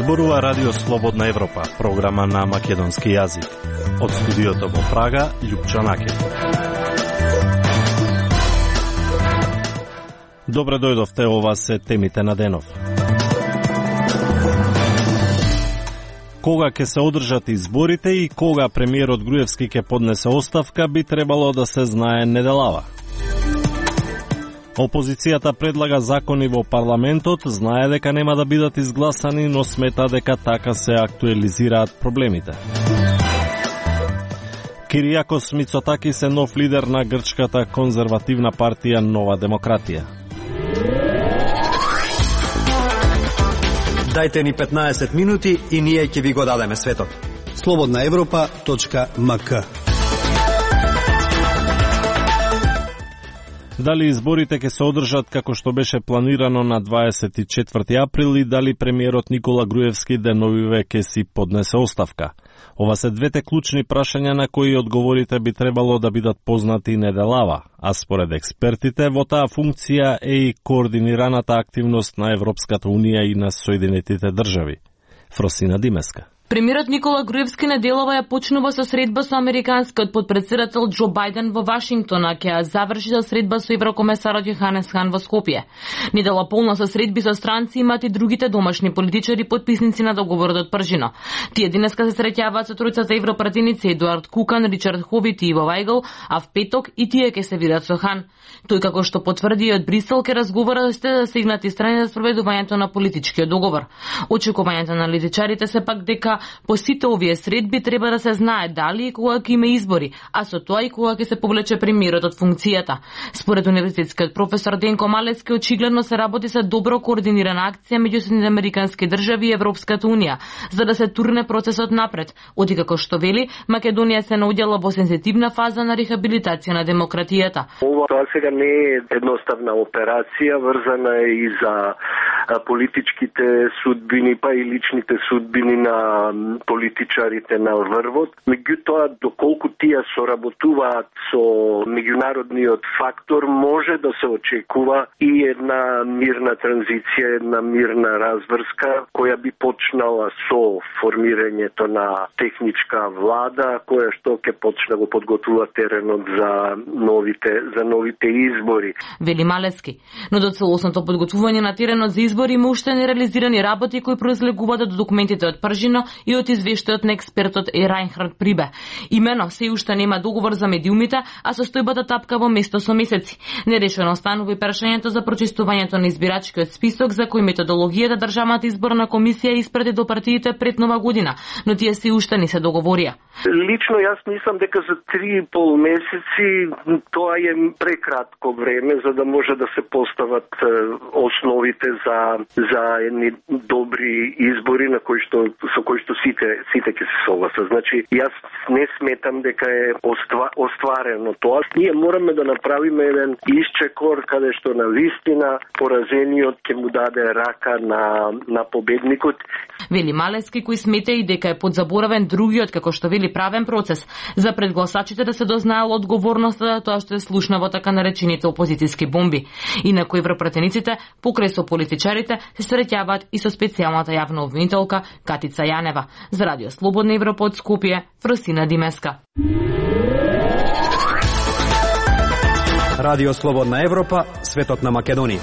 Зборува Радио Слободна Европа, програма на македонски јазик. Од студиото во Прага, Љупчо Накев. Добре дојдовте, ова се темите на денов. Кога ќе се одржат изборите и кога премиерот Груевски ќе поднесе оставка, би требало да се знае неделава. Опозицијата предлага закони во парламентот, знае дека нема да бидат изгласани, но смета дека така се актуализираат проблемите. Киријакос Мицотакис е нов лидер на грчката конзервативна партија Нова демократија. Дајте ни 15 минути и ние ќе ви го дадеме светот. slobodnaevropa.mk. Дали изборите ќе се одржат како што беше планирано на 24 април и дали премиерот Никола Груевски деновиве ќе си поднесе оставка? Ова се двете клучни прашања на кои одговорите би требало да бидат познати неделава, а според експертите во таа функција е и координираната активност на Европската Унија и на Соединетите држави. Фросина Димеска. Премиерот Никола Груевски неделава ја почнува со средба со американскиот подпредседател Џо Бајден во Вашингтон, а ќе ја заврши со средба со еврокомесарот Јоханес Хан во Скопје. Недела полна со средби со странци имаат и другите домашни политичари подписници на договорот од Пржино. Тие денеска се среќаваат со тројцата европратеници Едуард Кукан, Ричард Хобит и Иво Вајгл, а в петок и тие ќе се видат со Хан. Тој како што потврди и од Брисел ќе разговара да стигнати страни за спроведувањето на политичкиот договор. Очекувањето на аналитичарите се пак дека по сите овие средби треба да се знае дали и кога ќе има избори, а со тоа и кога ќе се повлече премиерот од функцијата. Според универзитетскиот професор Денко Малецки, очигледно се работи за добро координирана акција меѓу Соединетите американски држави и Европската Унија, за да се турне процесот напред. Оти како што вели, Македонија се наоѓала во сензитивна фаза на рехабилитација на демократијата. Тоа сега не е едноставна операција, врзана е и за политичките судбини, па и личните судбини на политичарите на врвот. Меѓутоа, доколку тие соработуваат со меѓународниот фактор, може да се очекува и една мирна транзиција, една мирна разврска, која би почнала со формирањето на техничка влада, која што ќе почне го подготвува теренот за новите избори. Вели Малецки, но до целосното подготвување на теренот за избори има уште нереализирани работи кои произлегуваат од документите од Пржино и од извештајот на експертот Райнхард Прибе. Имено се уште нема договор за медиумите, а состојбата тапка во место со месеци. Нерешено останува и прашањето за прочистувањето на избирачкиот список, за кој методологијата Државната изборна комисија испрати до партиите пред Нова година, но тие се уште не се договорија. Лично јас мислам дека за 3,5 месеци тоа е прекратко време за да може да се постават основите за едни добри избори на со кои што сите ќе се согласат. Значи, јас не сметам дека е остварено тоа. Ние мораме да направиме еден исчекор каде што на вистина поразениот ќе му даде рака на победникот. Вели Малецки, кој смета и дека е подзаборавен другиот, како што вели, правен процес за пред гласачите да се дознаел одговорноста за тоа што е слушна во така наречените опозицијски бомби. Инаку европратениците, покрај со политичарите, се среќаваат и со специјалната јавна обвинителка Катица Јанева. За Радио Слободна Европа од Скопје, Фросина Димеска. Радио Слободна Европа, светот на Македонија.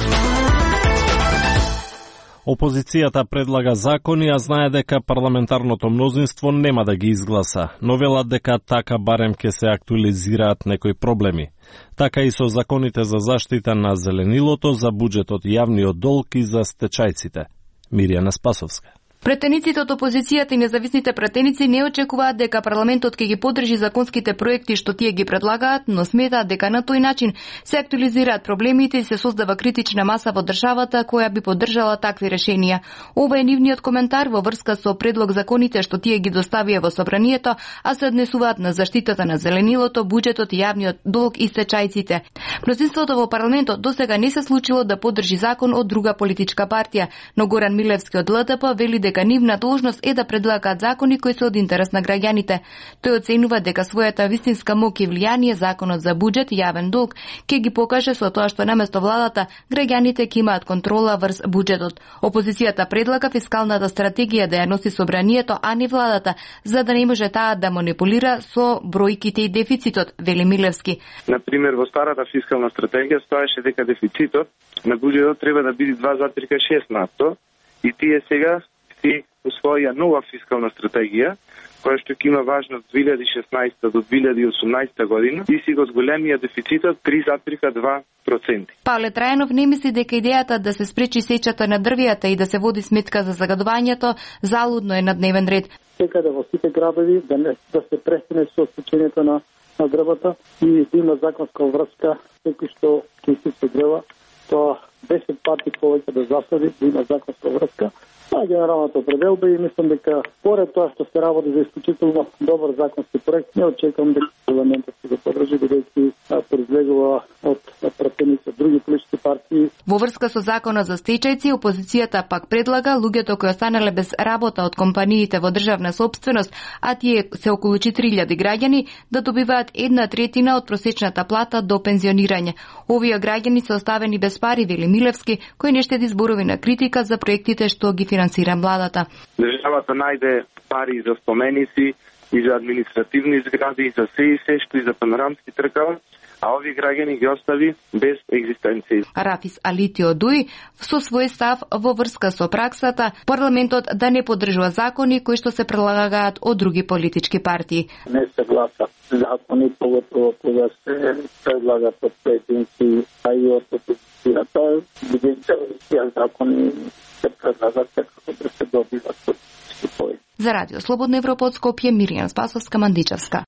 Опозицијата предлага закони, а знае дека парламентарното мнозинство нема да ги изгласа, но велат дека така барем ќе се актуализираат некои проблеми. Така и со законите за заштита на зеленилото, за буџетот, јавниот долг и за стечајците. Мирјана Спасовска. Претениците од опозицијата и независните претеници не очекуваат дека парламентот ќе ги поддржи законските проекти што тие ги предлагаат, но сметаат дека на тој начин се актуализираат проблемите и се создава критична маса во државата која би поддржала такви решенија. Ова е нивниот коментар во врска со предлог законите што тие ги доставија во собранието, а се однесуваат на заштитата на зеленилото, буџетот, јавниот долг и стечајците. Мнозинството во парламентот досега не се случило да поддржи закон од друга политичка партија, но Горан Милевски од ЛДП вели дека нивна должност е да предлагаат закони кои се од интерес на граѓаните. Тој оценува дека својата вистинска моќ и влијание законот за буџет и јавен долг ќе ги покаже со тоа што наместо владата граѓаните ќе имаат контрола врз буџетот. Опозицијата предлага фискалната стратегија да ја носи собранието, а не владата, за да не може таа да манипулира со бројките и дефицитот, вели Милевски. На пример, во старата фискална стратегија стоеше дека дефицитот на буџетот треба да биде 2,6%, и тие сега си усвоија нова фискална стратегија, која што ќе има важност 2016 до 2018 година и си го зголемија дефицитот 3,2%. Павле Трајанов не мисли дека идејата да се спречи сечата на дрвијата и да се води сметка за загадувањето залудно е на дневен ред. Секаде во сите градови да се престане со сечењето на дрвата и да има законска врска секој што ќе се дрва, тоа 10 пати повеќе да засади, да има законска врска. Това е генералната определба и мислам дека поред тоа што се работи за исклучително добар законски проект, не очекувам дека парламентот ќе го подржи, бидејќи произлегува од пратеници од други политички партии. Во врска со законот за стечајци, опозицијата пак предлага луѓето кои останале без работа од компаниите во државна сопственост, а тие се околу 4000 граѓани, да добиваат 1/3 од просечната плата до пензионирање. Овие граѓани се оставени без пари, вели Милевски, кој не штеди зборови на критика за проектите што ги финансира владата. Државата најде пари за споменици и за административни згради, и за се што и за панорамски тркава, а овие граѓани ги остави без екзистенција. Рафис Алитио Дуј со свој став во врска со праксата парламентот да не поддржува закони кои што се прилагаат од други политички партии. Не се гласа закони, поготово кога се предлагат од поединци, а и од опозицијата, бидејќи тие закони се предлагат како да се добиват политички поени. За Радио Слободна Европа од Скопје, Миријана Спасовска, Мандичевска.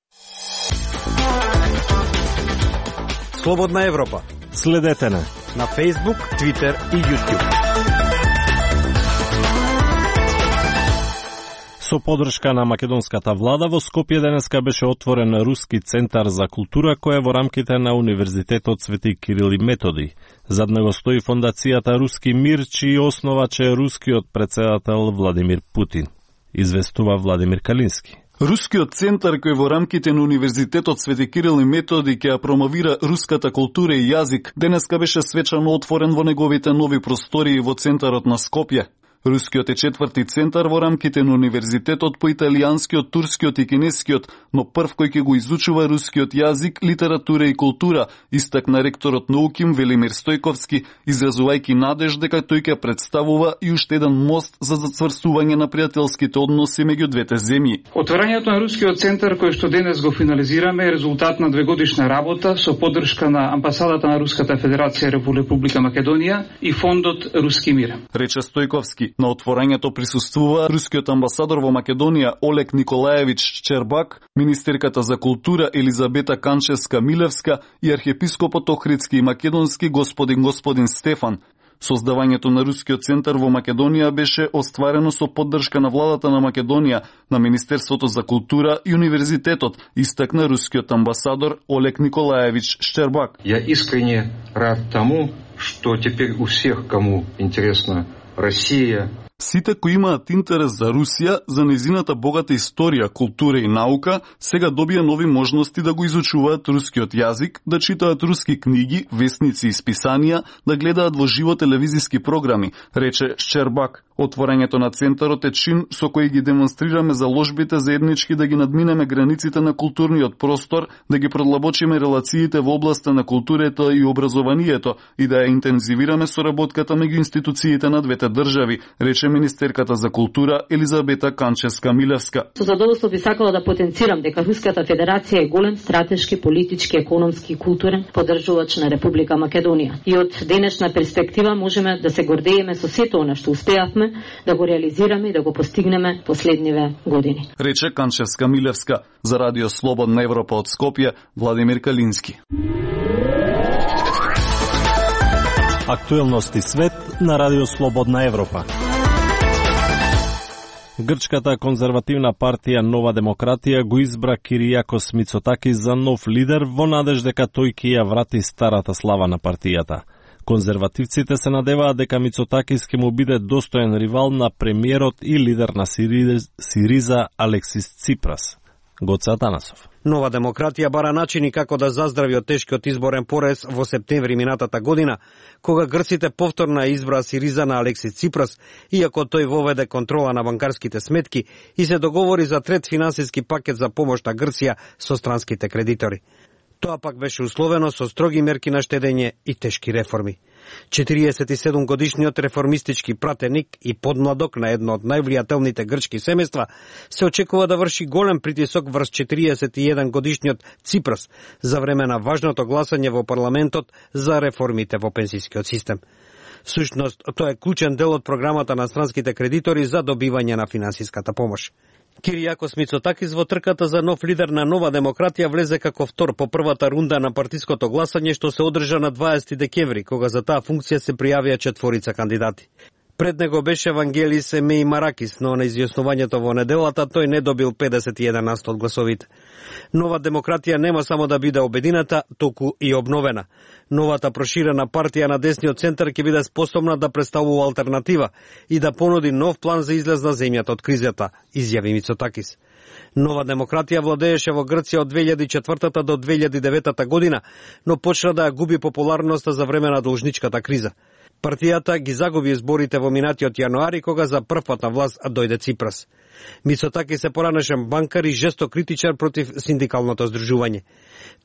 Слободна Европа. Следете на Facebook, Twitter и YouTube. Со поддршка на македонската влада во Скопје денеска беше отворен Руски центар за култура кој е во рамките на Универзитетот Свети Кирил и Методи. Зад него стои фондацијата Руски мир, чиј основач е рускиот претседател Владимир Путин, известува Владимир Калински. Рускиот центар кој во рамките на Универзитетот Свети Кирил и Методи ќе ја промовира руската култура и јазик, денеска беше свечано отворен во неговите нови простории во центарот на Скопје. Рускиот е четврти центар во рамките на Универзитетот по италијанскиот, турскиот и кинескиот, но прв кој ќе го изучува рускиот јазик, литература и култура, истакна ректорот на УКИМ Велимир Стојковски, изразувајќи надеж дека тој ќе представува и уште еден мост за зацврстување на пријателските односи меѓу двете земји. Отворањето на Рускиот центар кој што денес го финализираме е резултат на двегодишна работа со поддршка на амбасадата на Руската Федерација во Република Македонија и фондот Руски мир. Рече Стојковски. На отворањето присуствува рускиот амбасадор во Македонија Олег Николаевич Шчербак, министерката за култура Елизабета Канчевска-Милевска и архиепископот Охридски и Македонски господин Стефан. Создавањето на Рускиот центар во Македонија беше остварено со поддршка на владата на Македонија, на Министерството за култура и Универзитетот, истакна рускиот амбасадор Олег Николаевич Шчербак. Я искренне рад тому, что теперь у всех, кому интересно Россия. Сите кои имаат интерес за Русија, за незината богата историја, култура и наука, сега добија нови можности да го изучуваат рускиот јазик, да читаат руски книги, весници и списанија, да гледаат во живо телевизиски програми, рече Шчербак. Отворањето на центарот е чин со кој ги демонстрираме заложбите заеднички да ги надминеме границите на културниот простор, да ги продлабочиме релациите во областа на културата и образованието и да ја интензивираме соработката меѓу институциите на двете држави, рече министерката за култура Елизабета Канчевска-Милевска. Со задоволство би сакала да потенцирам дека Руската Федерација е голем стратешки, политички, економски и културен поддржувач на Република Македонија. И од денешна перспектива можеме да се гордееме со сето она што успеавме да го реализираме и да го постигнеме последниве години. Рече Канчевска-Милевска. За Радио Слободна Европа од Скопје, Владимир Калински. Актуелности свет на Радио Слободна Европа. Грчката конзервативна партија Нова демократија го избра Киријакос Мицотакис за нов лидер во надеж дека тој ќе ја врати старата слава на партијата. Конзервативците се надеваат дека Мицотакис ќе му биде достоен ривал на премиерот и лидер на Сириза Алексис Ципрас. Гоце Атанасов. Нова демократија бара начини како да заздрави од тешкиот изборен порез во септември минатата година, кога грците повторно избраа Сириза на Алексис Ципрас, иако тој воведе контрола на банкарските сметки и се договори за трет финансиски пакет за помош на Грција со странските кредитори. Тоа пак беше условено со строги мерки на штедење и тешки реформи. 47 годишниот реформистички пратеник и подмладок на едно од највлијателните грчки семејства се очекува да врши голем притисок врз 41 годишниот Ципрас за време на важното гласање во парламентот за реформите во пензискиот систем. Всушност, тоа е клучен дел од програмата на странските кредитори за добивање на финансиската помош. Киријакос Мицотакис во трката за нов лидер на Нова демократија влезе како втор по првата рунда на партиското гласање што се одржа на 20 декември, кога за таа функција се пријавија 4 кандидати. Пред него беше Евангелис Меимаракис, но на изјаснувањето во неделата тој не добил 51% од гласовите. Нова демократија нема само да биде обедината, туку и обновена. Новата проширена партија на десниот центар ќе биде способна да представува алтернатива и да понуди нов план за излез на земјата од кризата, изјави Мицотакис. Нова демократија владееше во Грција од 2004 до 2009 година, но почна да ја губи популарноста за време на должничката криза. Партијата ги загуби изборите во минатиот јануари, кога за прв пат на власт дојде Ципрас. Мицотакис се поранешен банкар и жесток критичар против синдикалното здружување.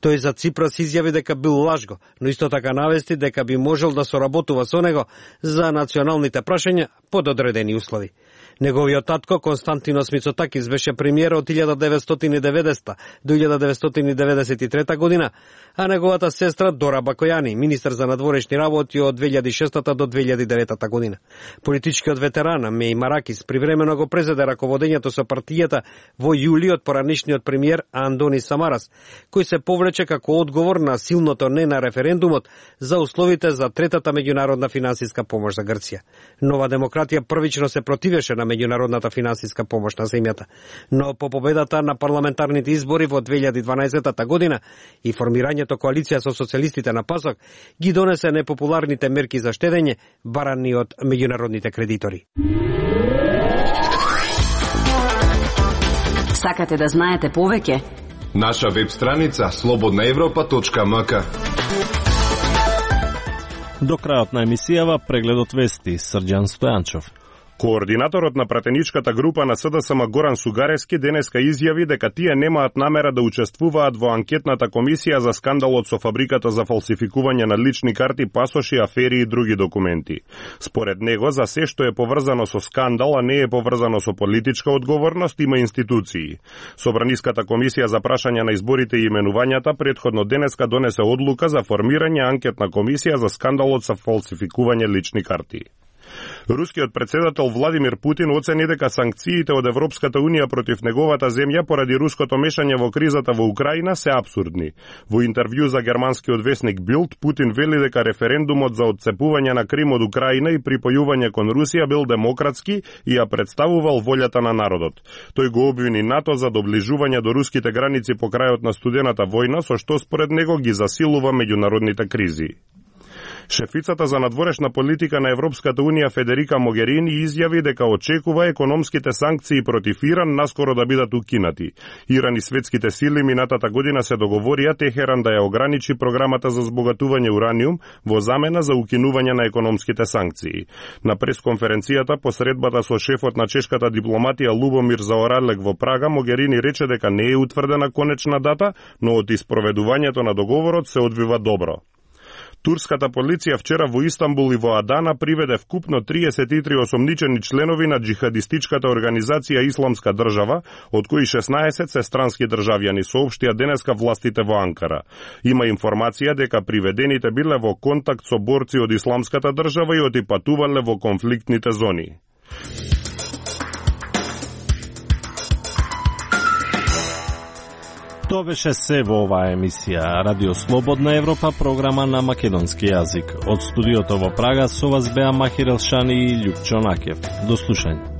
Тој за Ципрас изјави дека бил лажго, но исто така навести дека би можел да соработува со него за националните прашања под одредени услови. Неговиот татко Константинос Мицотакис беше премиер од 1990 до 1993 година, а неговата сестра Дора Бакојани, министер за надворешни работи од 2006 до 2009 година. Политичкиот ветеран Меимаракис привремено го презеде раководењето со партијата во јули од поранишниот премиер Андонис Самарас, кој се повлече како одговор на силното не на референдумот за условите за третата меѓународна финансиска помош за Грција. Нова демократија првично се противеше на меѓународната финансиска помош на земјата, но по победата на парламентарните избори во 2012 година и формирањето коалиција со социјалистите на ПАСОК ги донесе непопуларните мерки за штедење барани од меѓународните кредитори. Сакате да знаете повеќе? Наша веб страница slobodnaevropa.mk. До крајот на емисијава прегледот вести Срđan Стојанчов. Координаторот на пратеничката група на СДСМ Горан Сугарески денеска изјави дека тие немаат намера да учествуваат во анкетната комисија за скандалот со фабриката за фалсификување на лични карти, пасоши, афери и други документи. Според него, за се што е поврзано со скандал, а не е поврзано со политичка одговорност, има институции. Собраниската комисија за прашање на изборите и именувањата претходно денеска донесе одлука за формирање анкетна комисија за скандалот со фалсификување лични карти. Рускиот председател Владимир Путин оцени дека санкциите од Европската Унија против неговата земја поради руското мешање во кризата во Украина се апсурдни. Во интервју за германскиот весник Билд, Путин вели дека референдумот за отцепување на Крим од Украина и припојување кон Русија бил демократски и ја представувал волјата на народот. Тој го обвини НАТО за доближување до руските граници по крајот на студената војна, со што според него ги засилува меѓународните кризи. Шефицата за надворешна политика на Европската Унија Федерика Могерини изјави дека очекува економските санкции против Иран наскоро да бидат укинати. Иран и светските сили минатата година се договорија Техеран да ја ограничи програмата за збогатување ураниум во замена за укинување на економските санкции. На пресконференцијата по средбата со шефот на чешката дипломатија Лубомир Заоралек во Прага, Могерини рече дека не е утврдена конечна дата, но од испроведувањето на договорот се одвива добро. Турската полиција вчера во Истанбул и во Адана приведе вкупно 33 осомничени членови на джихадистичката организација Исламска држава, од кои 16 се странски државјани, соопштија денеска властите во Анкара. Има информација дека приведените биле во контакт со борци од Исламската држава и отипатувале во конфликтните зони. Тоа беше се во оваа емисија Радио Слободна Европа, програма на македонски јазик. Од студиото во Прага со вас беа Махир Елшани и Љупчо Накев. До слушање.